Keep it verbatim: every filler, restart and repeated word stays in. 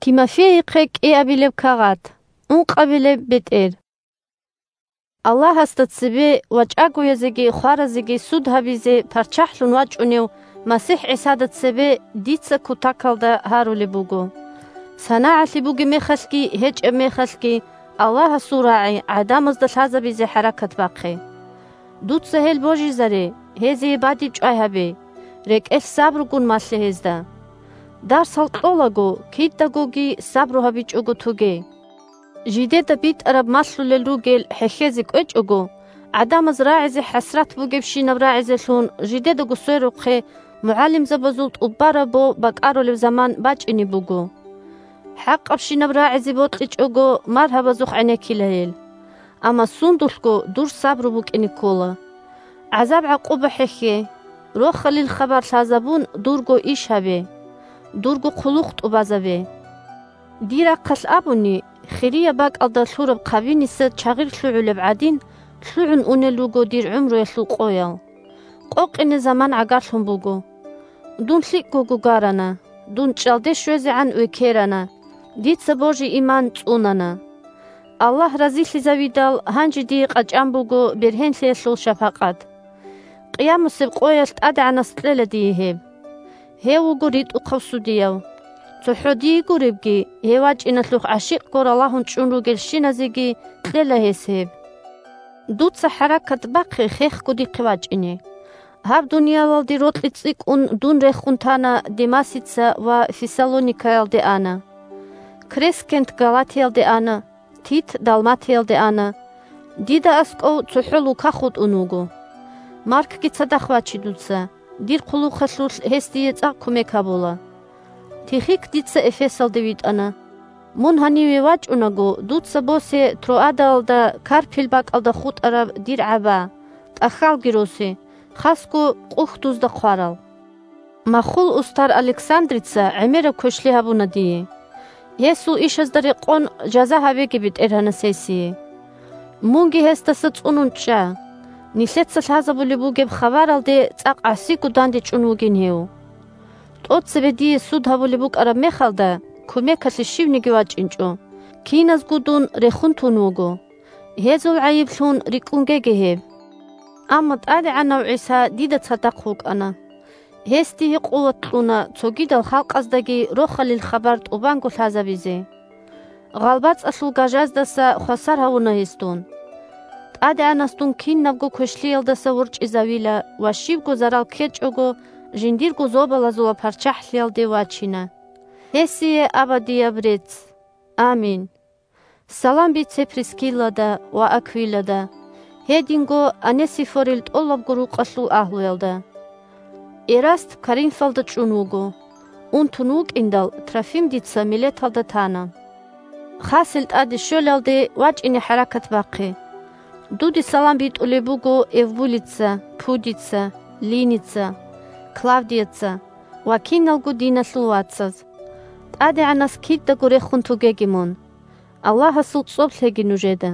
Тимофейихъе кӀиабилеб кагъат, ункъабилеб бетӀер. Аллагьасда цебе ва чӀагоязеги хваразеги суд гьабизе парччахӀлъун вачӀунев МасихӀ ГӀисада цебе дица кутакалда гьарулеб буго: санагӀалъи бугеб мехалъги гьечӀеб мехалъги, Аллагьасул рагӀи гӀадамазда лъазабизе хӀаракат бахъе. Дуца гьел божизаре, гьезие бадиб чӀвай гьабе, рекӀелъ сабругун малъе гьезда. Дарсал кьолаго, кидагоги сабру гьабичӀого тоге. Жидеда битӀараб малъулел ругел хӀехьезе кӀвечӀого, гӀадамаз рагӀизе хӀасрат бугебщинаб рагӀизелъун жидедаго сверухъе мугӀалимзабазул тӀубараб бо бакӀарулеб заман бачӀине буго. ХӀакъабщинаб рагӀизе бокьичӀого маргьабазухъ гӀенеккила гьел. Амма сундулъго дур сабру букӀине ккола. ГӀазаб-гӀакъуба хӀехье, рохалил хабар лъазабун дурго иш гьабе, дурго хъулухъ тӀубазабе. Дир рахъалъ абуни, хирияб бакӀалда лъураб хъабиниса чагъир лъугӀулеб гӀадин, лъугӀун унел руго дир гӀумруялъул къоял. Къокъине заман гӀагарлъун буго. Дун лъикӀго гугарана, дун чӀалде щвезегӀан векерана, дица божи-иман цӀунана. Аллагь разилъизавидал гьанже дие къачӀан буго бергьенлъиялъул шапакъат. Къиямасеб къоялъ ТӀадегӀанас кьела дие гьеб. Гьев вуго ритӀухъав судияв. ЦохӀо дие гуребги, гьев вачӀиналъухъ гӀащикъго ралагьун чӀун ругелщиназеги кьела гьес гьеб. Дуца хӀаракат бахъе хехго дихъе вачӀине. Гьаб дуниялалде рокьи цӀикӀкӀун дун рехун тана Демасица ва Фессалоникаялде ана. Крескент Галатиялде ана, Тит Далматиялде ана. Дида аскӀов цохӀо Лука хутӀун вуго. Маркги цадахъ ваче дуца, дир хъулухъалъулъ гьес дие цӀакъ кумек гьабула. Тихик дица Эфесалде витӀана. Мун гьаниве вачӀунаго, дуца босе Троадаялда Карпил бакӀалда хутӀараб дир гӀаба, тӀахьалги росе, хасго къухьдузда хъварал. Махул устар Александрица гӀемераб квешлъи гьабуна дие. Гьесул ишазда рекъон жаза гьабеги БетӀергьанас гьесие. Мунги гьесдаса цӀунун чӀа. Нилъеца лъазабулеб бугеб хабаралде цӀакъ гӀасиго дандечӀун вугин гьев. ТӀоцебе дие суд гьабулеб букӀараб мехалда, кумекалъе щивниги вачӀинчӀо. Киназго дун рехун тун вуго. Гьезул гӀайиблъун рикӀкӀунгеги гьеб. Амма ТӀадегӀанав ГӀиса дида цадахъ вукӀана. Гьес дие къуват кьуна цогидал халкъаздаги рохалил хабар тӀубанго лъазабизе. ГъалбацӀалъул гажаздаса хвасар гьавуна гьес дун. ТӀадегӀанас дун кинабго квешлъиялдаса ворчӀизавила ва щибго зарал ккечӀого, жиндирго зобалазул ва парччахӀлъиялде вачина. Гьесие абадияб рецц. Амин. Салам бице Прискиллада ва Аквилада, гьединго Онесифорил тӀолабго рукъалъул агьлуялда. Эраст Коринфалда чӀун вуго. Унтун вукӀиндал, Трофим дица Милеталда тана. Хасил тӀаде щолалде вачӀине хӀаракат бахъе. Дуде салам битӀулеб буго Эвбулица, Пудица, Линица, Клавдияца ва киналго диналъул вацаз. ТӀадегӀанас кидаго рехун тугеги мун. Аллагьасул цӀоб лъеги нужеда.